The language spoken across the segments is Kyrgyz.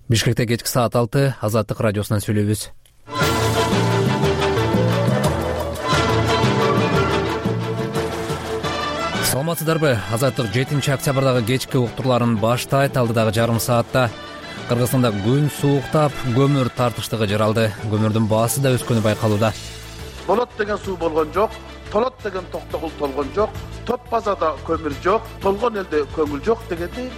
Бишкекте кечки саат 6 Азаттык радиосунан сүйлөйбүз. Саламатсыздарбы? Азаттык 7 октябрдагы кечки уктурларын баштайт. Алдыдагы жарым саатта Кыргызстанда күн сууктап, көмүр тартыштыгы жаралды. Көмүрдүн баасы да өскөнү байкалууда. Болот деген суу болгон жок, толот деген токтогул толгон жок, топ базада көмүр жок, толгон элде көңүл жок дегендей.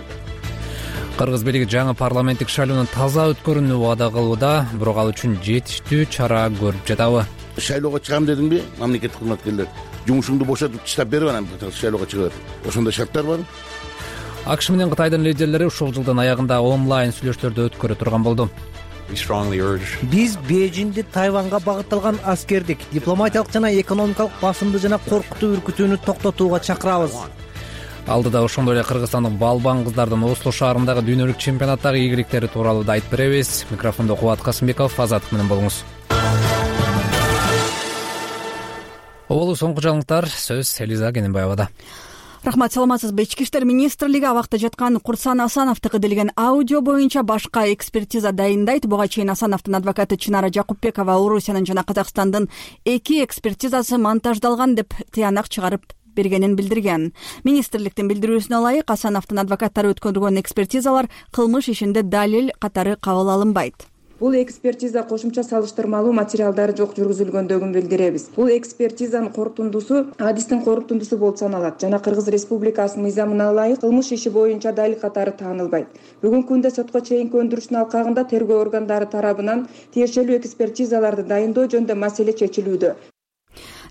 Кыргыз бийлиги жаңы парламенттик шайлоонун таза өткөрүүнү убада кылууда, бирок ал үчүн жетиштүү чара көрүп жатабы? Шайлоого чыгам дедиңби, мамлекеттик кызматкерлер? Жумушуңду бошотуп таштап берип анан шайлоого чыгып. Ошондой шарттар бар. АКШ менен Кытайдын лидерлери ушул жылдын аягында онлайн сүйлөшүүлөрдү өткөрө турган болду. Биз Бейжиңди Тайванга багытталган аскердик, дипломатиялык жана экономикалык басымды жана коркутуу үркүтүүнү токтотууга чакырабыз. Алдыда ошондой эле Кыргызстандын балбан кыздардын Осло шаарындагы дүйнөлүк чемпионаттагы ийгиликтери тууралуу да айтып беребиз. Микрофондо Кубат Касымбеков, Азаттык менен болуңуз. Оболу соңку жаңылыктар, сөз Элиза Кененбаевада. Рахмат, саламатсызбы? Ички иштер министрлиги абакта жаткан Курсан Асановдук делген аудио боюнча башка экспертиза дайындайт. Буга чейин Асановдун адвокаты Чынара Жакупбекова Орусиянын жана Казакстандын 2 экспертизасы монтаждалган деп тыянак чыгарып бергенин билдирген. Министрликтин билдирүүсүнө ылайык, Асановдун адвокаттары өткөргөн экспертизалар кылмыш ишинде далил катары кабыл алынбайт. Бул экспертиза кошумча салыштырмалуу материалдары жок жүргүзүлгөндөгүн билдиребиз. Бул экспертизанын корутундусу адистин корутундусу болуп саналат жана Кыргыз Республикасынын мыйзамына ылайык кылмыш иши боюнча далил катары таанылбайт. Бүгүнкү күндө сотко чейинки өндүрүштүн алкагында тергөө органдары тарабынан тиешелүү экспертизаларды дайындоо жөнүндө маселе чечилүүдө,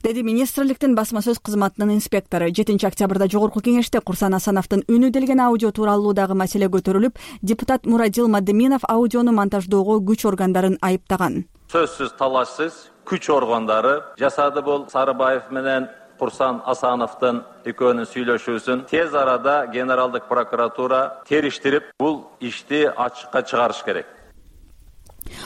деди министрликтин басма сөз кызматынын инспектору. 7 октябрда жогорку кеңеште Курсан Асановдун үнү делген аудио тууралуудагы маселе көтөрүлүп, депутат Мурадил Мадыминов аудиону монтаждоого күч органдарын айыптаган. Сөзсүз талашсыз күч органдары жасады. Бул Сарыбаев менен Курсан Асановдун экөөнүн сүйлөшүүсүн тез арада генералдык прокуратура териштирип, бул ишти ачыкка чыгарыш керек.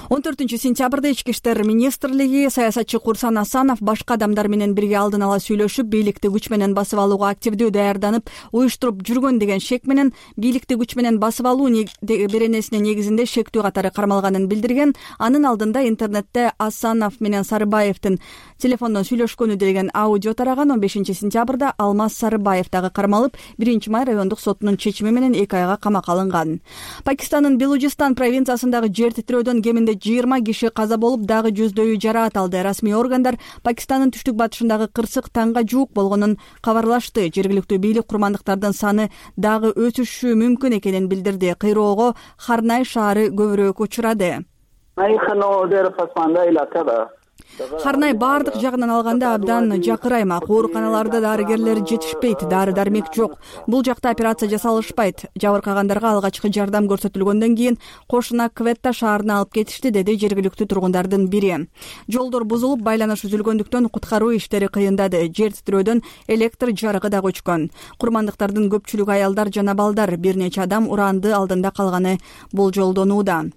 14 сентябрда Ички иштер министрлиги саясатчы Курсан Асанов башка адамдар менен бирге алдын ала сүйлөшүп, бийликти күч менен басып алууга активдүү даярданып, уюштуруп жүргөн деген шек менен бийликти күч менен басып алуу беренесине негизинде шектүү катары кармалганын билдирген. Анын алдында интернетте Асанов менен Сарыбаевдин телефондон сүйлөшкөнү деген аудио тараган. 15 сентябрда Алмаз Сарыбаев дагы кармалып, 1-май райондук сотунун чечими менен 2 айга камакка алынган. Пакистандын Белужистан провинциясындагы жер титирөөдөн кеминде 20 киши каза болуп, дагы жүздөөү жараат алды. Расмий органдар Пакистандын түштүк батышындагы кырсык таңга жуук болгонун кабарлашты. Жергиликтүү бийлик курмандыктардын саны дагы өсүшү мүмкүн экенин билдирди. Кыйроого Харнай шаары көбүрөөк учурады. Харнай баардык жагынан алганда абдан жакыр аймак. Ооруканаларда дарыгерлер жетишпейт, дары-дармек жок. Бул жакта операция жасалышпайт. Жабыркагандарга алгачкы жардам көрсөтүлгөндөн кийин кошуна Кветта шаарына алып кетишти, деди жергиликтүү тургундардын бири. Жолдор бузулуп, байланыш үзүлгөндүктөн куткаруу иштери кыйындады. Жер титирөөдөн электр жарыгы да өчкөн. Курмандыктардын көпчүлүгү аялдар жана балдар. Бир нече адам уранды алдында калганы болжолдонууда.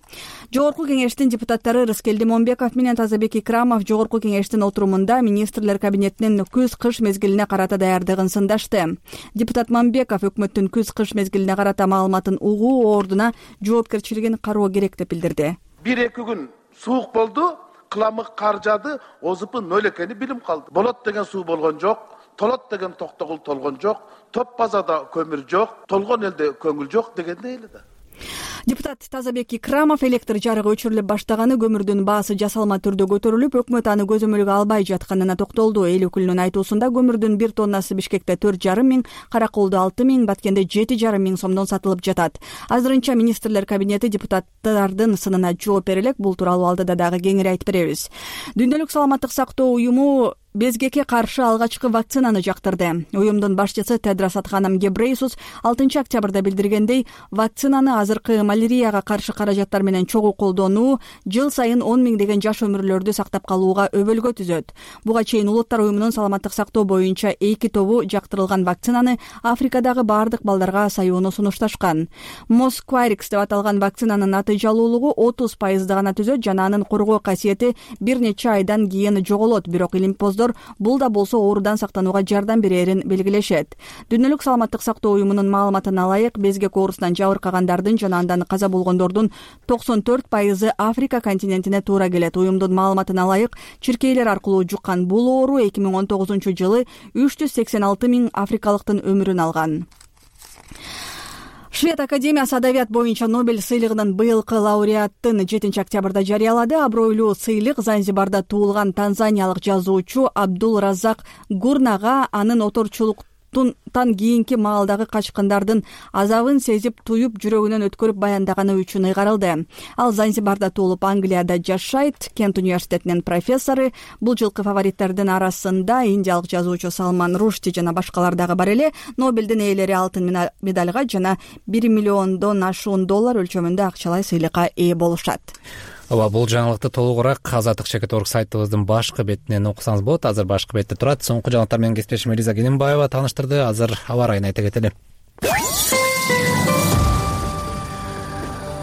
Жогорку кеңештин депутаттары Рыскелди Момбеков менен Тазабек Икрамов жогорку кеңештин отурумунда министрлер кабинетинин күз-кыш мезгилине карата даярдыгын сындашты. Депутат Момбеков өкмөттүн күз-кыш мезгилине карата маалыматын угуу ордуна жоопкерчилигин кароо керек деп билдирди. 1-2 күн суук болду, кыламык кар жаады, озупу 0 экени билим калды. Болот деген суу болгон жок, толот деген токтогул толгон жок, топ базада көмүр жок, толгон элде көңүл жок дегендей эле да. Депутат Тазабек Икрамов электр жарыгы өчүрүлүп баштаганы, көмүрдүн баасы жасалма түрдө көтөрүлүп, өкмөт аны көзөмөлгө албай жатканына токтолду. Эл өкүлүнүн айтуусунда көмүрдүн 1 тоннасы Бишкекте 4,5 миң, Караколдо 6 миң, Баткенде 7,5 миң сомдон сатылып жатат. Азырынча министрлер кабинети депутаттардын сынына жооп бере элек. Бул тууралуу алдыда дагы кеңири айтып беребиз. Дүйнөлүк саламаттык сактоо уюму безгекке каршы алгачкы вакцинаны жактырды. Уюмдун башчысы Тедрос Адханом Гебрейсус 6 октябрда билдиргендей, вакцинаны азыркы малярияга каршы каражаттар менен чогуу колдонуу жыл сайын 10 миңдеген жаш өмүрлөрдү сактап калууга өбөлгө түзөт. Буга чейин Улуттар уюмунун саламаттык сактоо боюнча 2 тобу жактырылган вакцинаны Африкадагы баардык балдарга саюуну сунушташкан. Москварикс деп аталган вакцинанын натыйжалуулугу 30% гана түзөт жана анын коргоо касиети бир нече айдан кийин жоголот. Бирок илимпоздор өкүлдөр бул да болсо оорудан сактанууга жардам берерин белгилешет. Дүйнөлүк саламаттык сактоо уюмунун маалыматына ылайык, безгек оорусунан жабыркагандардын жана андан каза болгондордун 94% Африка континентине туура келет. Уюмдун маалыматына ылайык, чиркейлер аркылуу жуккан бул оору 2019-жылы 386 000 африкалыктын өмүрүн алган. Швед академиясы адабият боюнча Нобель сыйлыгынын быйылкы лауреатын 7 октябрда жарыялады. Абройлуу сыйлык Занзибарда туулган танзаниялык жазуучу Абдул Разак Гурнага анын оторчулуктан кийинки маалдагы качкындардын азабын сезип, туюп, жүрөгүнөн өткөрүп баяндаганы үчүн ыйгарылды. Ал Занзибарда туулуп, Англияда жашайт. Кент университетинин профессору. Бул жылкы фавориттердин арасында индиялык жазуучу Салман Рушди жана башкалар дагы бар эле. Нобелдин ээлери алтын медальга жана $1 миллиондон ашуун доллар өлчөмүндө акчалай сыйлыкка ээ болушат. Бул жаңылыкты толугураак Азаттык.org сайтыбыздын башкы бетинен окусаңыз болот. Азыр башкы бетте турат. Соңку жаңылыктар менен кесиптешим Элиза Кененбаева тааныштырды. Азыр аба ырайын айта кетели.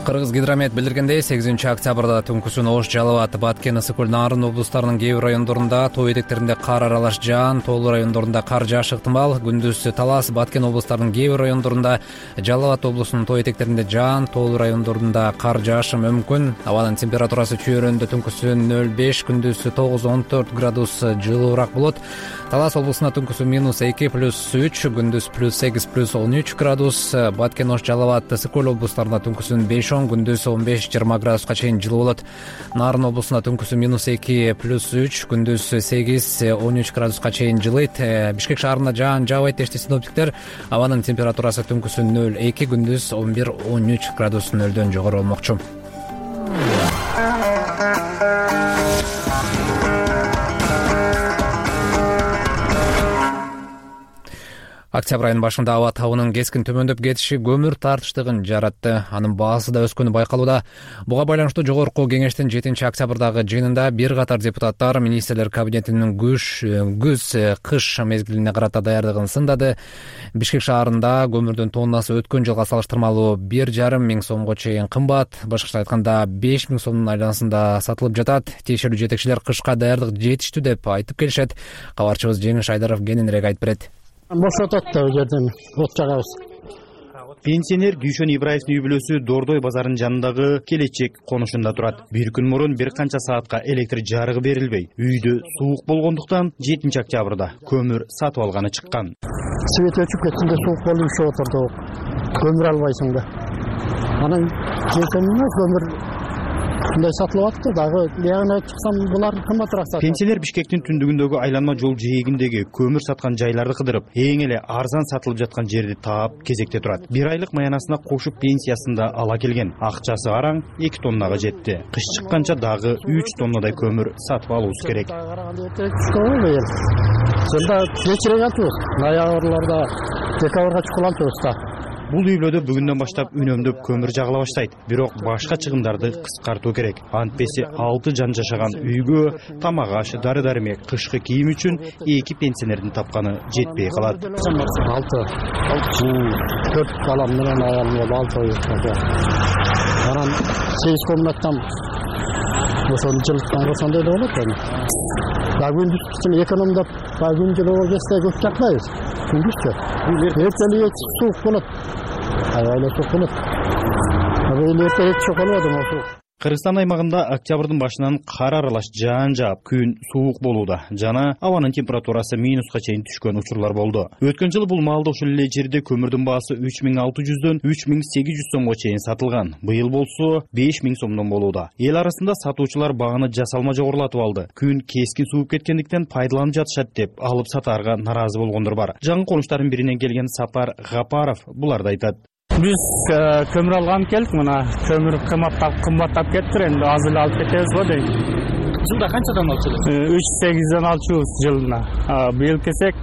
Кыргыз гидромет билдиргендей, 8 октябрда түнкүсүн Ош, Жалал Абад, Баткен, Ысык Көл, Нарын облустарынын кээ бир райондорунда, тоо этектеринде кар аралаш жаан, тоолуу райондорунда кар жаашы ыктымал. Күндүз Талас, Баткен облустарынын кээ бир райондорунда, Жалал Абад облусунун тоо этектеринде жаан, тоолуу райондорунда кар жаашы мүмкүн. Абанын температурасы чөйрөндө түнкүсүн 0,5, күндүз 9-14 градус жылуураак болот. Талас облусунда түнкүсүн -2 +3, күндүз +8 +13 градус. Баткен, Ош, Жалал Абад, Ысык Көл облустарында түнкүсүн 5, күндүз 15-20 градуска чейин жылуу болот. Нарын облусунда түнкүсүн -2 +3, күндүз 8-13 градуска чейин жылыйт. Бишкек шаарында жаан жаабайт дешти синоптиктер. Абанын температурасы түнкүсүн 0,2, күндүз 11-13 градус нөлдөн жогору болмокчу. Октябрь айынын башында аба табынын кескин төмөндөп кетиши көмүр тартыштыгын жаратты. Анын баасы да өскөнү байкалууда. Буга байланыштуу жогорку кеңештин 7 октябрдагы жыйынында бир катар депутаттар министрлер кабинетинин күз-кыш мезгилине карата даярдыгын сындады. Бишкек шаарында көмүрдүн тоннасы өткөн жылга салыштырмалуу 1,5 миң сомго чейин кымбат. Башкача айтканда 5 миң сомдун айланасында сатылып жатат. Тиешелүү жетекчилер кышка даярдык жетиштүү деп айтып келишет. Кабарчыбыз Жеңиш Айдаров кененирээк айтып берет. Бошотот да жерден от жагабыз. Пенсионер Дүйшөн Ибраевдин үй бүлөсү Дордой базарынын жанындагы Келечек конушунда турат. Bir күн мурун бир канча саатка электр жарыгы берилбей, үйдө суук болгондуктан 7 октябрда көмүр сатып алганы чыккан. Свет өчүп кеткенде суук болуп ишеп отурду. Көмүр албайсың да. Анан жетемине көмүр мындай сатылып атты дагы. Ягына чыксам булар кымбатыраак сатат. Пенсионер Бишкектин түндүгүндөгү айланма жол жээгиндеги көмүр саткан жайларды кыдырып, эң эле арзан сатылып жаткан жерди таап кезекте турат. Bir айлык маянасына кошуп пенсиясын да ала келген. Акчасы араң 2 тоннага жетти. Кыш чыкканча дагы 3 тоннадай көмүр сатып алуубуз керек. Сонда кечирээк атабыз. Ноябрларда, декабрга чукулантабыз да. Бул үй бүлөдө бүгүндөн баштап үнөмдөп көмүр жагыла баштайт. Бирок башка чыгымдарды кыскартуу керек. Антпеси 6 жан жашаган үйгө тамак аш, дары-дармек, кышкы кийим үчүн 2 пенсионердин тапканы жетпей калат. 6 4 балам менен аялым болуп 6 ой. Анан 8 комнаттан ошону жылыктан ошондой да болот эми. Күндүз үчүн экономдоп, күн жылуу кезде көп жакпайбыз. Күндүзчө. Эртеле суук болот. Аябай суук болот. Эртеле суук болот. Кыргызстан аймагында октябрдын башынан кар аралаш жаан жаап, күн суук болууда жана абанын температурасы минуска чейин түшкөн учурлар болду. Өткөн жылы бул маалда ушул эле жерде көмүрдүн баасы 3600дөн 3800 сомго чейин сатылган. Быйыл болсо 5000 сомдон болууда. Эл арасында сатуучулар баганы жасалма жогорулатып алды. Күн кескин сууп кеткендиктен пайдаланып жатышат деп алып сатаарга наразы болгондор бар. Жаңы конуштардын биринен келген Сапар Гапаров буларды айтат. Биз көмүр алган келдик, мына көмүр кымбаттап кетти, энди азыр алып кетебиз го дейм. Жылда канчадан алчусуз? 3,8ден алчубуз жылына. Быйыл кесек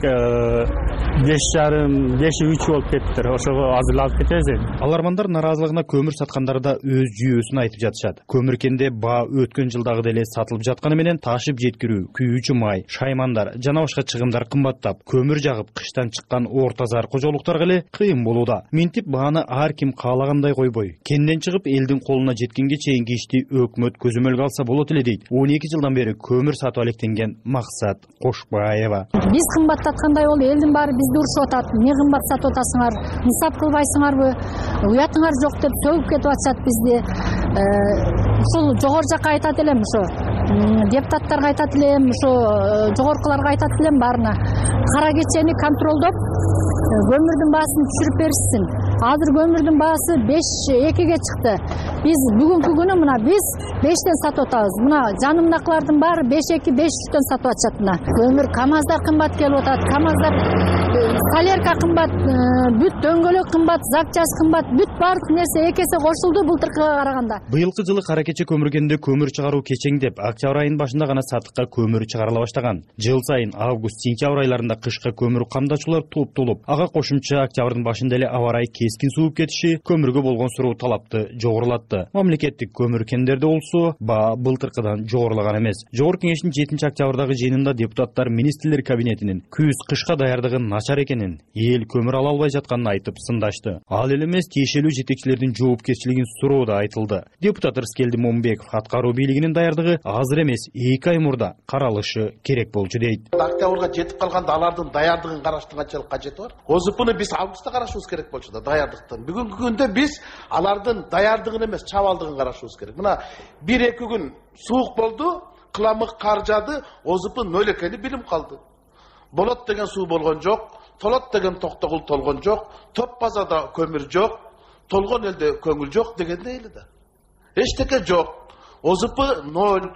5,5-3 болуп кеттир. Ошого азыр алып кетебиз энди. Алармандар наразылыгына көмүр саткандар да өз жүйөсүн айтып жатышат. Көмүркенде баа өткөн жылдагы деле сатылып жатканы менен ташып жеткирүү, күйүүчү май, шаймандар жана башка чыгымдар кымбаттап, көмүр жагып кыштан чыккан орто зар кожолуктарга эле кыйын болууда. Минтип бааны ар ким каалагандай койбой, кенден чыгып элдин колуна жеткенге чейинки ишти өкмөт көзөмөлгө алса болот эле дейт. 12 жылдан бери көмүр сатып алектенген Максат Кошбаева. Биз кымбаттаткандай болду, элдин баары бизди урушуп атат. Эмне кымбат сатып атасыңар? Нысап кылбайсыңарбы? Уятыңар жок деп сөгүп кетип атышат бизди. Ушул жогору жакка айтат элем, ошо депутаттарга айтат элем, ошо жогоркуларга айтат элем баарына. Кара кечени контролдоп көмүрдүн баасын түшүрүп беришсин. Азыр көмүрдүн баасы 5-2ге чыкты. Биз бүгүнкү күнү мына биз 5тен сатып атабыз. Мына жанымдакылардын баары 5-2, 5-3төн сатып атышат мына. Көмүр КамАЗдар кымбат келип атат. КамАЗдар солярка кымбат, бүт дөңгөлөк кымбат, запчасть кымбат, бүт баардык нерсе 2 эсе кошулду былтыркыга караганда. Быйылкы жылы кара кече көмүргенде көмүр чыгаруу кечеңдеп, октябрь айынын башында гана сатыкка көмүр чыгарыла баштаган. Жыл сайын август-сентябрь айларында кышка көмүр камдачулар толуп, ага кошумча октябрдын башында эле аба ырайы кескин сууп кетиши көмүргө болгон суроо талапты жогорулатты. Мамлекеттик көмүр кендерде болсо, баа былтыркыдан жогорулаган эмес. Жогорку кеңештин 7-октябрдагы жыйынында депутаттар министрлер кабинетинин күз-кышка даярдыгы начар экенин, эл көмүр ала албай жатканын айтып сындашты. Ал эле эмес, тиешелүү жетекчилердин жоопкерчилигин суроо да айтылды. Депутат Рыскелди Момбеков аткаруу бийлигинин даярдыгы азыр эмес, 2 ай мурда каралышы керек болчу дейт. Октябрга жетип калганда алардын даярдыгын караштын канчалык кажети бар? ОЗПны биз августта карашыбыз керек болчу да, даярдыктан. Бүгүнкү күндө биз алардын даярдыгын эмес, чабалдыгын карашыбыз керек. Мына 1-2 күн суук болду, кыламык кар жаады, ОЗП 0 экени билим калды. Болот деген суу болгон жок, толот деген токтогул толгон жок, топ базада көмүр жок, толгон элде көңүл жок дегендей эле да. Эчтеке жок. ОЗП 0.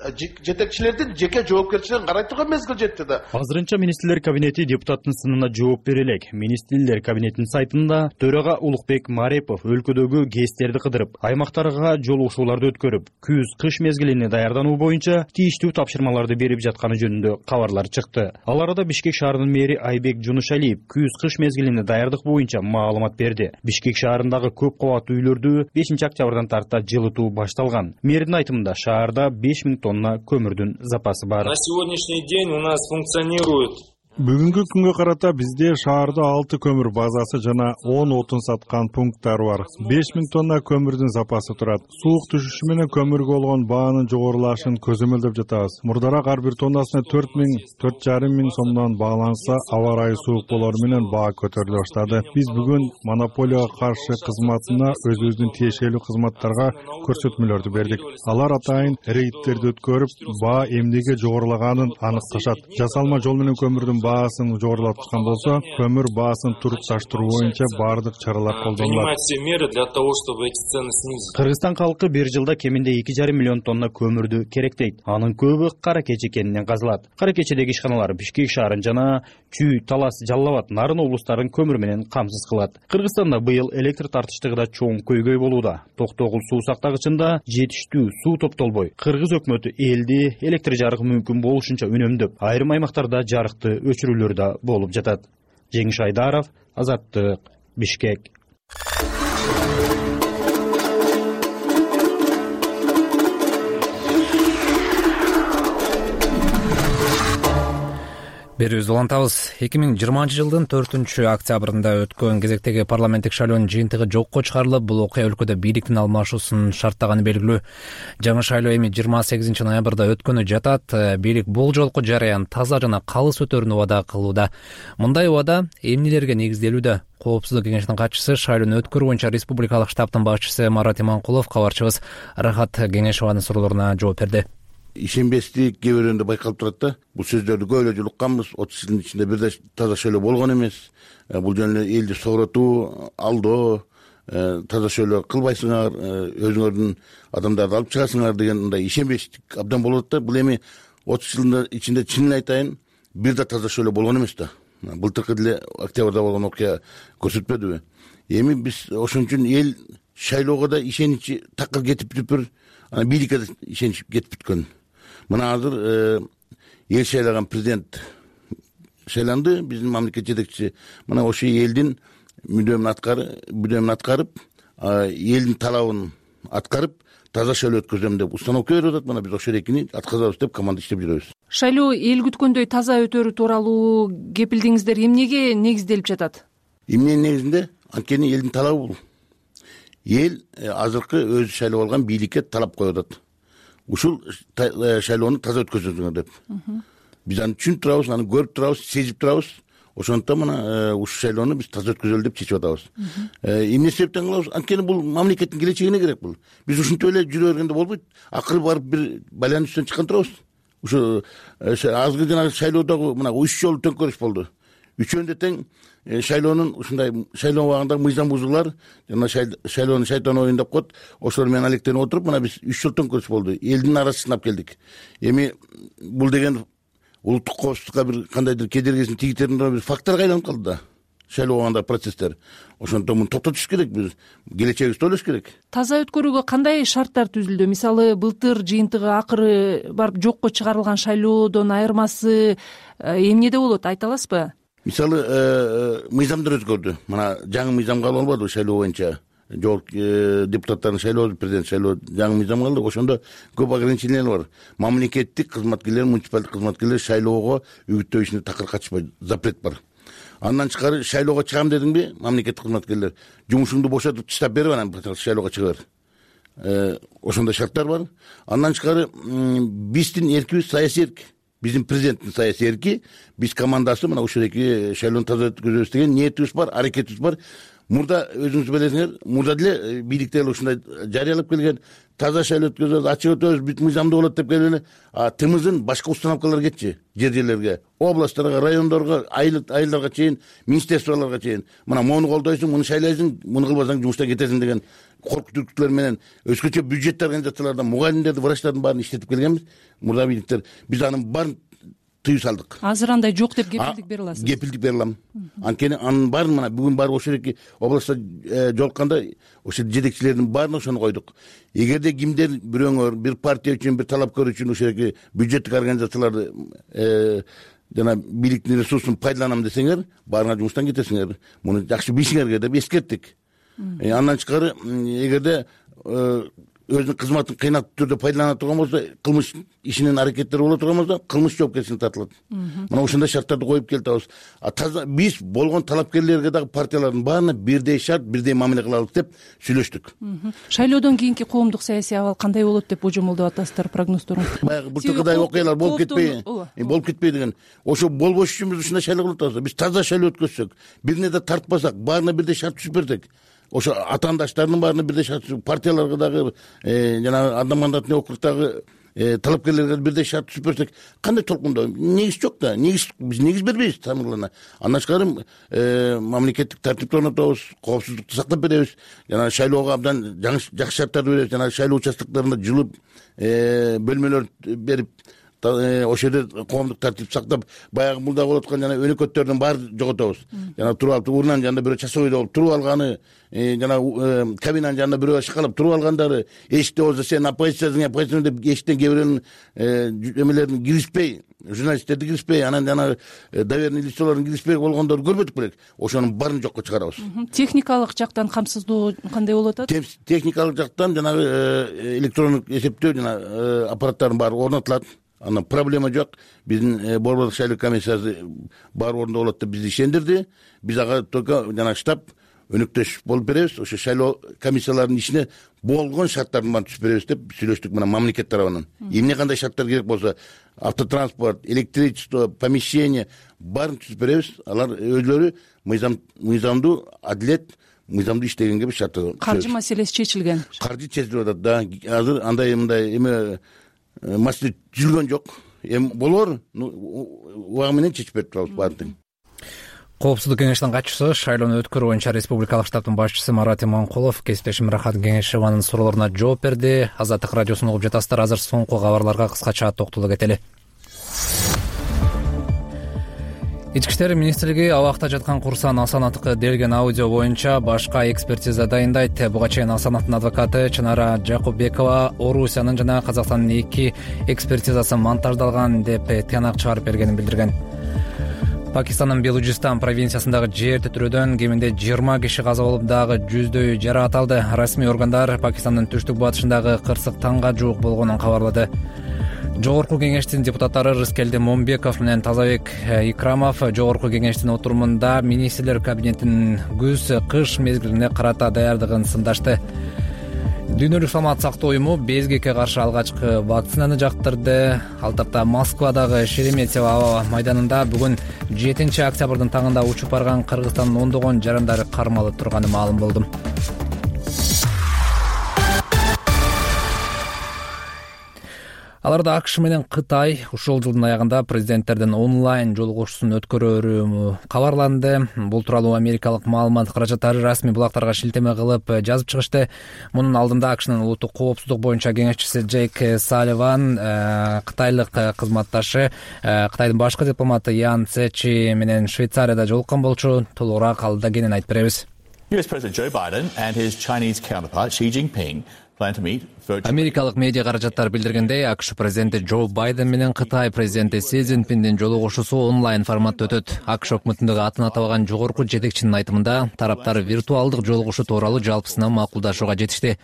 Жетекчилердин жеке жоопкерчилигин карай турган мезгил жетти да. Азырынча министрлер кабинети депутаттын сынына жооп бере элек. Министрлер кабинетинин сайтында төрага Улукбек Марепов өлкөдөгү ГЭСтерди кыдырып, аймактарга жолугушууларды өткөрүп, күз-кыш мезгилине даярдануу боюнча тийиштүү тапшырмаларды берип жатканы жөнүндө кабарлар чыкты. Ал арада Бишкек шаарынын мэри Айбек Жунушалиев күз-кыш мезгилине даярдык боюнча маалымат берди. Бишкек шаарындагы көп кабаттуу үйлөрдү 5-октябрдан тарта жылытуу башталган. Мэрдин айтымында шаарда 5000 тонна көмүрдүн запасы бар. На сегодняшний день у нас функционирует Бүгүнкү күнгө карата бизде шаарда 6 көмүр базасы жана 10 отун саткан пункттар бар. 5000 тонна көмүрдүн запасы турат. Суук түшүшү менен көмүргө болгон баанын жогорулашын көзөмөлдөп жатабыз. Мурдараак ар бир тоннасына 4.000–4.500 сомдон бааланса, аба ырайы суук болору менен баа көтөрүлө баштады. Биз бүгүн монополияга каршы кызматына өзүбүздүн тиешелүү кызматтарга көрсөтмөлөрдү бердик. Алар атайын рейдтерди өткөрүп, баа эмнеге жогорулаганын аныкташат. Жасалма жол менен көмүрдүн баасын жогорулаткан болсо, көмүр баасын турукташтыруу боюнча баардык чаралар колдонулат. Кыргызстан халкы бир жылда кеминде 2,5 миллион тонна көмүрдү керектейт. Анын көбү кара кече кенинен казылат. Кара кечедеги ишканалар Бишкек шаарын жана Чүй, Талас, Жалал Абад, Нарын облустарын көмүр менен камсыз кылат. Кыргызстанда быйыл электр тартыштыгы да чоң көйгөй болууда. Токтогул суу сактагычында жетиштүү суу топтолбой, кыргыз өкмөтү элди электр жарык мүмкүн болушунча үнөмдөп, айрым аймактарда жарыкты өчүрүүлөр да болуп жатат. Жеңиш Айдаров, Азаттык, Бишкек. Берүүбүздү улантабыз. 2020-жылдын 4-октябрында өткөн кезектеги парламенттик шайлоонун жыйынтыгы жокко чыгарылып, бул окуя өлкөдө бийликтин алмашуусун шарттаганы белгилүү. Жаңы шайлоо эми 28 ноябрда өткөнү жатат. Бийлик бул жолку жараян таза жана калыс өтөрүнү убада кылууда. Мындай убада эмнелерге негизделүүдө? Коопсуздук кеңешинин катчысы, шайлоону өткөрүү боюнча республикалык штабтын башчысы Марат Иманкулов кабарчыбыз Рахат Кеңешованын суроолоруна жооп берди. Ишенбестик кээ бирөөндө байкалып турат да. Бул сөздөрдү көп эле жулукканбыз. 30 жылдын ичинде бирде таза шайлоо болгон эмес. Бул жөн эле элди сооротуу, алдоо, таза шайлоо кылбайсыңар, өзүңөрдүн адамдарды алып чыгасыңар деген мындай ишенбестик абдан болот да. Бул эми 30 жылдын ичинде чынын айтайын, бирде таза шайлоо болгон эмес да. Былтыркы деле октябрда болгон окуя көрсөтпөдүбү? Эми биз ошон үчүн эл шайлоого да ишеничи такыр кетип бүтүп, бийликке да ишенич кетип бүткөн. Мына азыр эл шайлаган президент шайланды, биздин мамлекет жетекчиси. Мына ошо элдин мүдөөмүн аткарып, элдин талабын аткарып, таза шайлоо өткөзөм деп установка берип атат. Мына биз ошол экини аткарабыз деп команда иштеп жүрөбүз. Шайлоо эл күткөндөй таза өтөрү тууралуу кепилдиңиздер эмнеге негизделип жатат? Эмненин негизинде? Анткени элдин талабы бул. Эл азыркы өзү шайлап алган бийликке талап коюп атат. ушул шайлоону таза өткөзүңөр деп. Биз аны түшүнүп турабыз, аны көрүп турабыз, сезип турабыз. Ошондуктан мына ушул шайлоону биз таза өткөзөлү деп чечип атабыз. Эмне себептен кылабыз? Анткени бул мамлекеттин келечегине керек бул. Биз ушинтип эле жүрө бергенде болбойт. Акыры барып бир байлаанын үстүнөн чыккан турабыз. Ушу азгы жанагы шайлоодогу мына 3 жолу төңкөрүш болду. Үчөөндө тең шайлоонун ушундай шайлоо убагындагы мыйзам бузуулар жана шайлоону шайтан оюн деп коет. Ошолор менен алектенип отуруп мына биз 3 жол төңкөрүш болду. Элдин арасын сынап келдик. Эми бул деген улуттук коопсуздукка бир кандайдыр кедергисин тийгизетін бир факторго айланып калды да. Шайлоо убагындагы процесстер. Ошондон муну токтотуш керек, биз келечегибизди ойлош керек. Таза өткөрүүгө кандай шарттар түзүлдү? Мисалы, былтыр жыйынтыгы акыры барып жокко чыгарылган шайлоодон айырмасы эмнеде болот, айта аласызбы? Мисалы, мыйзамдар өзгөрдү. Мына жаңы мыйзам кабыл алынбады шайлоо боюнча. Жогорку депутаттардын шайлоо, президент шайлоо жаңы мыйзам калды. Ошондо көп ограничениялар бар. Мамлекеттик кызматкерлер, муниципалдык кызматкерлер шайлоого үгүттөө ишине такыр катышпайт, запрет бар. Андан тышкары шайлоого чыгам дедиңби, мамлекеттик кызматкерлер жумушуңду бошотуп таштап берип анан шайлоого чыга бер. Ошондой шарттар бар. Андан тышкары биздин эркибиз саясий эрк. Биздин президенттин саясий эрки, биз командасы мына ушул эки шайлоону таза өткөзөбүз деген ниетибиз бар, аракетибиз бар. Мурда өзүңүз билесиңер, мурда деле бийликтер ушундай жарыялап келген, таза шайлоо өткөзөбүз, ачык өтөбүз, бүт мыйзамдуу болот деп келген эле. Тымызын башка установкаларга кетчи, жерлерге, областтарга, райондорго, айылдарга чейин, министерстволорго чейин. Мына муну колдойсуң, муну шайлайсың, муну кылбасаң жумуштан кетесиң деген коркутуктар менен өзгөчө бюджет организациялардан мугалимдерди, врачтардын баарын иштетип келгенбиз. Мурда бийликтер биз анын баарын тыюу салдык. Азыр андай жок деп кепилдик бере аласыз? Кепилдик бере алам. Анткени анын баарын мына бүгүн барып ошол эки областта жолукканда ошол жетекчилердин баарына ошону койдук. Эгерде кимдер бирөөңөр бир партия үчүн, бир талапкер үчүн ошол эки бюджеттик организацияларды жана бийликтин ресурсун пайдаланам десеңер, баарыңар жумуштан кетесиңер. Муну жакшы билишиңер керек деп эскерттик. Андан тышкары эгерде өзүнүн кызматын кыйнаттуу түрдө пайдалана турган болсо, кылмыш ишинин аракеттери боло турган болсо, кылмыш жоопкерчиликке тартылат. Мына ошондой шарттарды коюп келатабыз. Таза биз болгон талапкерлерге дагы партиялардын баарына бирдей шарт, бирдей мамиле кылабыз деп сүйлөштүк. Шайлоодон кийинки коомдук саясий абал кандай болот деп божомолдоп атасыздар, прогноздоруңуз? Баягы былтыркыдай окуялар болуп кетпей деген. Ошо болбош үчүн биз ушундай шайлоо кылып атабыз. Биз таза шайлоо өткөзсөк, бирине да тартпасак, баарына бирдей шарт түзүп берсек, ошо атаандаштардын баарына бирдей шарт, партияларга дагы жана Анда-Мандатный округдагы талапкерлерге бирдей шарт түзүп берсек, кандай толкундоо? Негиз жок да. Биз негиз бербейбиз тамырлана. Андан тышкары мамлекеттик тартипти орнотобуз, коопсуздукту сактап беребиз. Жана шайлоого абдан жакшы шарттарды беребиз. Жана шайлоо участоктарында жылы бөлмөлөр берип, ошол жерде коомдук тартип сактап, баягы мурда болуп аткан жана өнөкөттөрдүн баарын жоготобуз. Жана туруп алып, урнанын жанында бирөө часовой болуп туруп алганы, жана кабинанын жанында бирөө шыкалап туруп алгандары, эшикте болсо сен оппозициядын деп эшиктен кээ бирөөнүн эмелерин киришпей, журналисттерди киришпей, анан жана доверенный лицолордун киришпей болгондорду көрбөдүк белек. Ошонун баарын жокко чыгарабыз. Техникалык жактан камсыздоо кандай болуп атат? Техникалык жактан жанагы электрондук эсептөө жана аппараттардын баары орнотулат. Анан проблема жок. Биздин Борбордук шайлоо комиссиясы бар орунда болот деп бизди ишендирди. Биз ага только жана штаб өнөктөш болуп беребиз. Ошо шайлоо комиссияларынын ишине болгон шарттардын баарын түзүп беребиз деп сүйлөштүк мына мамлекет тарабынан. Эмне кандай шарттар керек болсо, автотранспорт, электричество, помещение баарын түзүп беребиз. Алар өзлөрү мыйзамдуу, адилет, мыйзамдуу иштегенге биз шарт. Каржы маселеси чечилген. Каржы чечилип атат да. Азыр андай эме маселе жүргөн жок. Эми болор, убагы менен чечип берип турабыз баарын. Коопсуздук кеңешинин катчысы, шайлоону өткөрүү боюнча республикалык штабтын башчысы Марат Иманкулов кесиптешим Рахат Кеңешеванын суроолоруна жооп берди. Азаттык радиосун угуп жатасыздар. Азыр соңку кабарларга кыскача токтоло кетели. Ички иштер министрлиги абакта жаткан Курсан Асановго делген аудио боюнча башка экспертиза дайындайт. Буга чейин Асановдун адвокаты Чынара Жакубекова Орусиянын жана Казакстандын 2 экспертизасы монтаждалган деп тыянак чыгарып бергенин билдирген. Пакистандын Белужистан провинциясындагы жер титирөөдөн кеминде 20 киши каза болуп, дагы жүздөй жаракат алды. Расмий органдар Пакистандын түштүк батышындагы кырсык таңга жуук болгонун кабарлады. Жогорку кеңештин депутаттары Рыскелди Момбеков менен Тазабек Икрамов Жогорку кеңештин отурумунда министрлер кабинетинин күз-кыш мезгилине карата даярдыгын сындашты. Дүйнөлүк саламаттык сактоо уюму безгекке каршы алгачкы вакцинаны жактырды. Ал тапта Москвадагы Шереметьево аба майданында бүгүн 7 октябрдын таңында учуп барган Кыргызстандын ондогон жарандары кармалып турганы маалым болду. Аларда АКШ менен Кытай ушул жылдын аягында президенттердин онлайн жолугушуусун өткөрөрү кабарланды. Бул тууралуу америкалык маалымат каражаттары расмий булактарга шилтеме кылып жазып чыгышты. Мунун алдында АКШнын улуттук коопсуздук боюнча кеңешчиси Джейк Салливан кытайлык кызматташы Кытайдын башкы дипломаты Ян Цечи менен Швейцарияда жолуккан болчу. Толугураак алда кенен айтып беребиз. US President Joe Biden and his Chinese counterpart Xi Jinping plan to meet. Америкалык медиа каражаттар билдиргендей, АКШ президенти Джо Байден менен Кытай президенти Си Цзиньпиндин жолугушуусу онлайн форматта өтөт. АКШ өкмөтүндөгү атын атабаган жогорку жетекчинин айтымында тараптар виртуалдык жолугушуу тууралуу жалпысынан макулдашууга жетишти.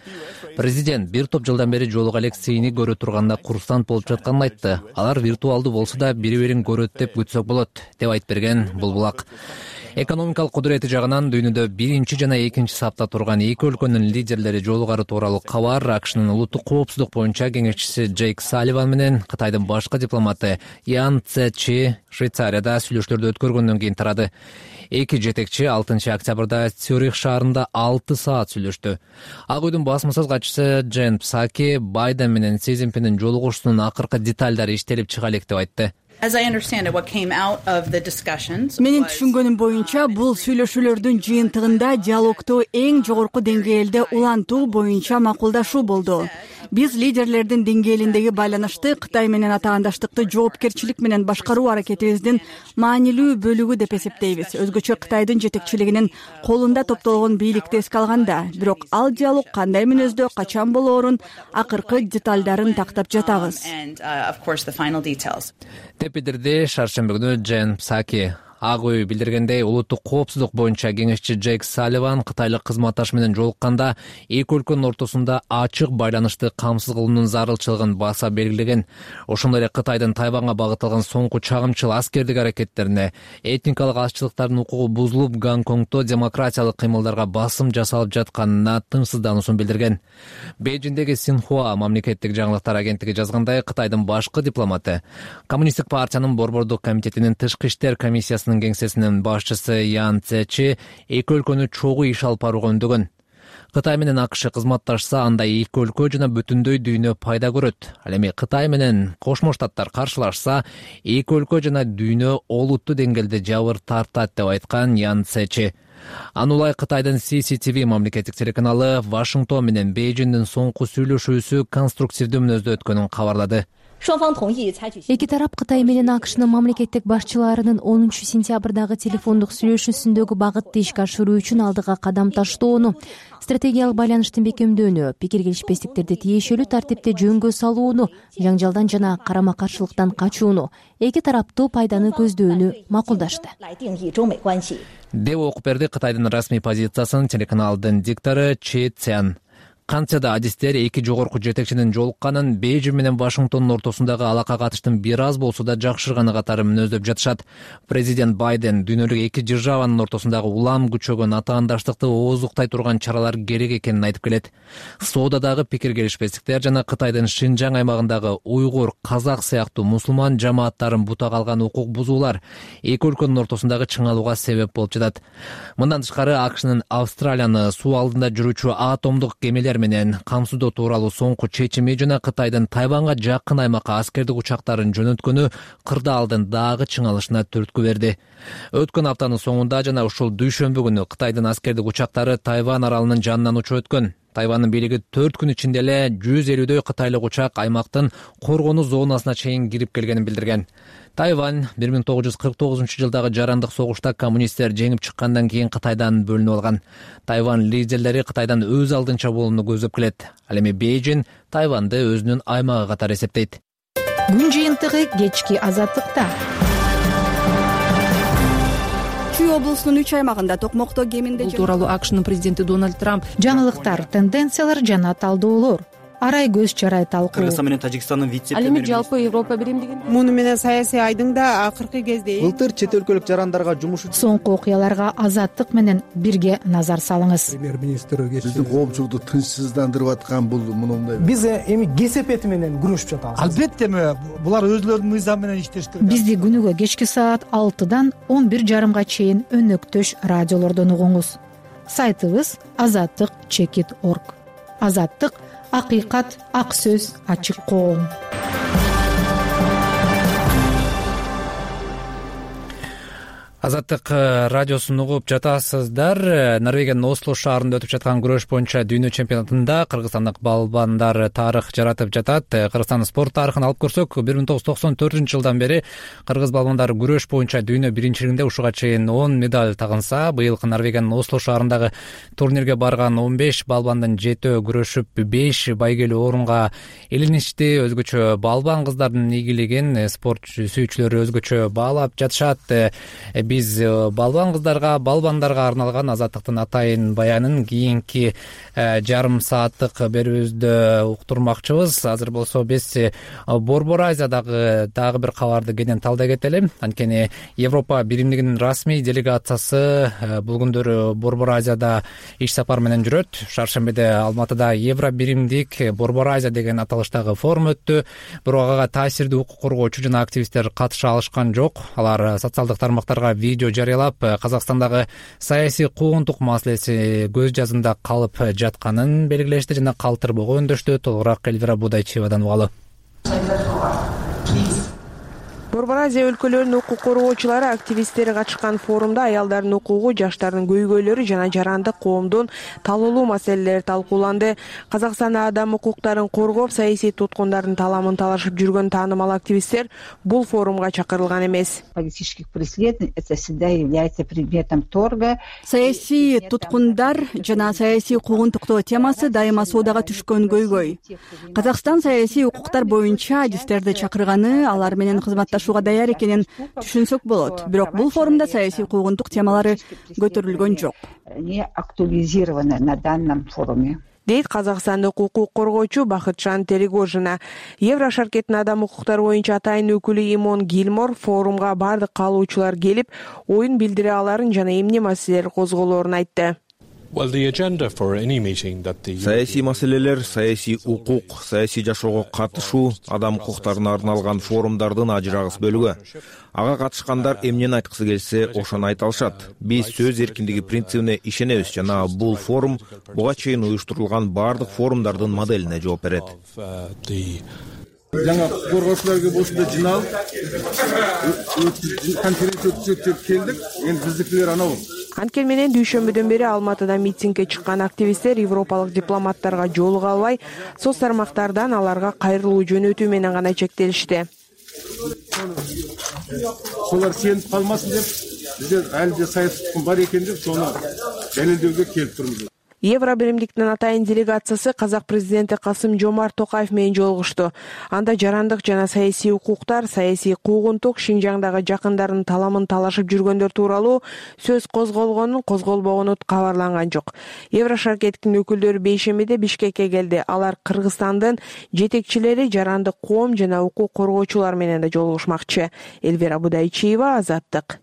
Президент бир топ жылдан бери жолуга элек Сини көрө турганда курсант болуп жатканын айтты. Алар виртуалдуу болсо да бири-бирин көрөт деп күтсөк болот, деп айтып берген Булбулак. Экономикалык кудурети жагынан дүйнөдө биринчи жана экинчи сапта турган эки өлкөнүн лидерлери жолугары тууралуу кабар АКШнын улуттук коопсуздук боюнча кеңешчиси Джейк Салливан менен Кытайдын башкы дипломаты Ян Цечи Швейцарияда сүйлөшүүлөрдү өткөргөндөн кийин тарады. Эки жетекчи 6 октябрда Цюрих шаарында 6 саат сүйлөштү. Ак үйдүн басма сөз катчысы Джен Псаки Байден менен Си Цзиньпиндин жолугушуусунун акыркы деталдары иштелип чыга элек деп айтты. Менин түшүнгөнүм боюнча бул сүйлөшүүлөрдүн жыйынтыгында диалогту эң жогорку деңгээлде улантуу боюнча макулдашуу болду. Биз лидерлердин деңгээлиндеги байланышты Кытай менен атаандаштыкты жоопкерчилик менен башкаруу аракетибиздин маанилүү бөлүгү деп эсептейбиз. Өзгөчө Кытайдын жетекчилигинин колунда топтолгон бийликти эске алганда, бирок ал диалог кандай мүнөздө, качан болоорун акыркы деталдарын тактап жатабыз. Деп билдирди шаршемби күнү Джен Псаки. Ак үй билдиргендей, улуттук коопсуздук боюнча кеңешчи Джейк Салливан кытайлык кызматташ менен жолукканда эки өлкөнүн ортосунда ачык байланышты камсыз кылуунун зарылчылыгын баса белгилеген. Ошондой эле Кытайдын Тайванга багытталган соңку чагымчыл аскердик аракеттерине, этникалык азчылыктардын укугу бузулуп, Гонконгдо демократиялык кыймылдарга басым жасалып жатканына тынчсыздануусун билдирген. Бейжиңдеги Синхуа мамлекеттик жаңылыктар агенттиги жазгандай, Кытайдын башкы дипломаты Коммунисттик партиянын борбордук комитетинин тышкы иштер комиссиясы кеңсесинин башчысы Ян Цечи эки өлкөнү чогуу иш алып барууга үндөгөн. Кытай менен АКШ кызматташса, анда эки өлкө жана бүтүндөй дүйнө пайда көрөт. Ал эми Кытай менен Кошмо Штаттар каршылашса, эки өлкө жана дүйнө олуттуу деңгээлде жабыр тартат деп айткан Ян Цечи. Анулай Кытайдын CCTV мамлекеттик телеканалы Вашингтон менен Бейжиңдин соңку сүйлөшүүсү конструктивдүү мүнөздө өткөнүн кабарлады. Эки тарап Кытай менен АКШнын мамлекеттик башчыларынын 10 сентябрдагы телефондук сүйлөшүүсүндөгү багытты ишке ашыруу үчүн алдыга кадам таштоону, стратегиялык байланыштын бекемдөөнү, пикир келишпестиктерди тиешелүү тартипте жөнгө салууну, жаңжалдан жана карама-каршылыктан качууну, эки тараптуу пайданы көздөөнү макулдашты. Деп окуп берди Кытайдын расмий позициясын телеканалдын диктору Чи Цян. Кантсе да адистер эки жогорку жетекчинин жолукканын Бейжиң менен Вашингтондун ортосундагы алака катыштын бир аз болсо да жакшырганы катары мүнөздөп жатышат. Президент Байден дүйнөлүк эки державанын ортосундагы улам күчөгөн атаандаштыкты оозуктай турган чаралар керек экенин айтып келет. Соодадагы пикир келишпестиктер жана Кытайдын Шинжаң аймагындагы уйгур, казак сыяктуу мусулман жамааттарын бутак алган укук бузуулар эки өлкөнүн ортосундагы чыңалууга себеп болуп жатат. Мындан тышкары АКШнын Австралияны суу алдында жүрүүчү атомдук кемелер менен камсыздоо тууралуу соңку чечими жана Кытайдын Тайванга жакын аймакка аскердик учактарын жөнөткөнү кырдаалдын дагы чыңалышына түрткү берди. Өткөн аптанын соңунда жана ушул дүйшөмбү күнү Кытайдын аскердик учактары Тайвань аралынын жанынан учуп өткөн. Тайвандын бийлиги 4 күн ичинде эле 150дөй кытайлык учак аймактын коргонуу зонасына чейин кирип келгенин билдирген. Тайвань 1949-жылдагы жарандык согушта коммунисттер жеңип чыккандан кийин Кытайдан бөлүнүп алган. Тайвань лидерлери Кытайдан өз алдынча болууну көздөп келет. Ал эми Бейжиң Тайваньды өзүнүн аймагы катары эсептейт. Күн жыйынтыгы кечки азаттыкта. Чүй облусунун 3 аймагында токмокто кеминде бул тууралуу АКШнын президенти Дональд Трамп жаңылыктар, тенденциялар жана талдоолор арай көз чарай талкуу. Кыргызстан менен Тажикстандын Ал эми жалпы Европа биримдигин муну менен саясий айдың да акыркы кезде былтыр чет өлкөлүк жарандарга жумуш Соңку окуяларга Азаттык менен бирге назар салыңыз. Премьер-министр биздин коомчулукту тынчсыздандырып аткан бул мындай. Биз эми кесепети менен күрөшүп жатабыз. Албетте булар өзлөрүнүн мыйзамы менен иштеш керек. Бизди күнүгө кечки саат 6-дан 11:30 чейин өнөктөш радиолордон угуңуз. Сайтыбыз azattik.org. Азаттык — акыйкат, ак сөз, ачык коом. Азаттык радиосун угуп жатасыздар. Норвегиянын Осло шаарында өтүп жаткан күрөш боюнча дүйнө чемпионатында кыргызстандык балбандар тарых жаратып жатат. Кыргызстандын спорт тарыхын алып көрсөк, 1994-жылдан бери кыргыз балбандары күрөш боюнча дүйнө биринчилигинде ушуга чейин 10 медаль тагынса, быйыл Норвегиянын Осло шаарындагы турнирге барган 15 балбандын 7 күрөшүп 5 байгелүү орунга илиништи. Өзгөчө балбан кыздардын ийгилигин спорт сүйүүчүлөрү өзгөчө баалап жатышат. Биз балбан кыздарга, балбандарга арналган Азаттыктын атайын баянын кийинки жарым сааттык берүүбүздө уктурмакчыбыз. Азыр болсо биз Борбор Азиядагы дагы бир кабарды кенен талдай кетели. Анткени Европа биримдигинин расмий делегациясы бул күндөрү Борбор Азияда иш сапар менен жүрөт. Шаршембиде Алматыда Евро биримдик Борбор Азия деген аталыштагы форум өттү. Бирок ага таасирдүү укук коргоочу жана активисттер катыша алышкан жок. Алар социалдык тармактарга видео жарыялап, Казакстандагы саясий куугунтук маселеси көз жазында калып жатканын белгилешти жана калтырбоого өндөштү. Толугураак Эльвира Будайчиевадан угалы. Борбор Азия өлкөлөрүнүн укук коргоочулары, активисттери катышкан форумда аялдардын укугу, жаштардын көйгөйлөрү жана жарандык коомдун талоолуу маселелери талкууланды. Казакстанда адам укуктарын коргоп, саясий туткундардын таламын талашып жүргөн таанымал активисттер бул форумга чакырылган эмес. Политических преследований это всегда является предметом торга. Саясий туткундар жана саясий куугунтуктоо темасы дайыма соодага түшкөн көйгөй. Казакстан саясий укуктар боюнча адистерди чакырганы, алар менен кызматташууга даяр экенин түшүнсөк болот. Бирок бул форумда саясий куугунтук темалары көтөрүлгөн жок. Не актуализированы на данном форуме. Дейт казакстандык укук коргоочу Бакытжан Терегожина. Евро шаркеттин адам укуктары боюнча атайын өкүлү Имон Гилмор форумга бардык каалоочулар келип, оюн билдире аларын жана эмне маселелер козголоорун айтты. Саясий маселелер, саясий укук, саясий жашоого катышуу, адам укуктарына арналган форумдардын ажырагыс бөлүгү. Ага катышкандар эмнени айткысы келсе, ошону айта алышат. Биз сөз эркиндиги принцибине ишенебиз жана бул форум буга чейин уюштурулган бардык форумдардын моделине жооп берет. Жаңа коргоочуларга болсо жиналып, конференция өткөзөт деп келдик. Эми биздикилер анау. Анткени менен дүйшөмбүдөн бери Алматыда митингге чыккан активисттер европалык дипломаттарга жолуга албай, соц тармактардан аларга кайрылуу жөнөтүү менен гана чектелишти. Солар сенip калмасын деп, биздер әлде саясий бар экен деп, сону далилдөөгө келип турмуз. Евро биримдиктин атайын делегациясы казак президенти Касым-Жомарт Токаев менен жолугушту. Анда жарандык жана саясий укуктар, саясий куугунтук, Шинжаңдагы жакындардын таламын талашып жүргөндөр тууралуу сөз козголгонун, козголбогону кабарланган жок. Евро шаркеттин өкүлдөрү бейшембиде Бишкекке келди. Алар Кыргызстандын жетекчилери, жарандык коом жана укук коргоочулар менен да жолугушмакчы. Эльвира Будайчиева, Азаттык.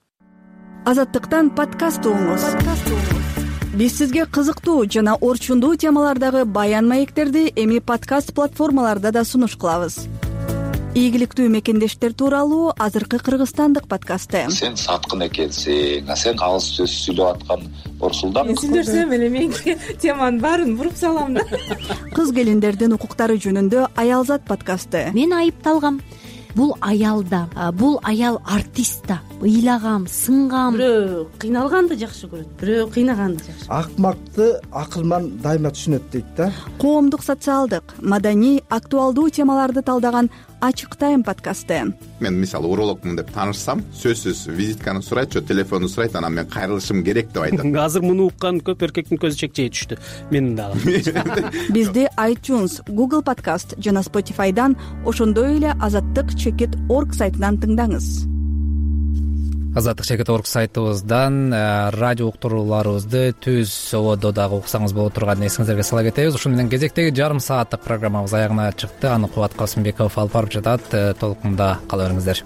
Азаттыктан подкаст угуңуз. Биз сизге кызыктуу жана орчундуу темалардагы баян маектерди эми подкаст платформаларда да сунуш кылабыз. Ийгиликтүү мекендештер тууралуу азыркы кыргызстандык подкасты. Сен саткын экенсиң, сен алыс сөз сүйлөп аткан Орсулдан. Мен сүйлөсөм эле менин теманын баарын буруп салам да. Кыз келиндердин укуктары жөнүндө Аялзат подкасты. Мен айыпталгам. Бул аялда, бул аял артист да. Ыйлагам, сынгам. Бирөө кыйналганды жакшы көрөт, бирөө кыйнаганды жакшы. Акмакты акылман дайыма түшүнөт дейт да. Коомдук, социалдык, маданий, актуалдуу темаларды талдаган Ачык тайм подкасты. Мен мисалы урологмун деп таанышсам, сөзсүз визитканы сурайт, же телефонду сурайт, анан мен кайрылышым керек деп айтат. Азыр муну уккан көп эркектин көзү чекчей түштү. Менин дагы. Бизди iTunes, Google Podcast жана Spotify'дан, ошондой эле azattik.org сайтынан тыңдаңыз. азаттык чекит орг сайтыбыздан радио уктурууларыбызды түз ободо дагы уксаңыз боло турганын эсиңиздерге сала кетебиз. Ушун менен кезектеги жарым сааттык программабыз аягына чыкты. Аны Кубат Касымбеков алып барып жатат. Толкунда кала бериңиздер.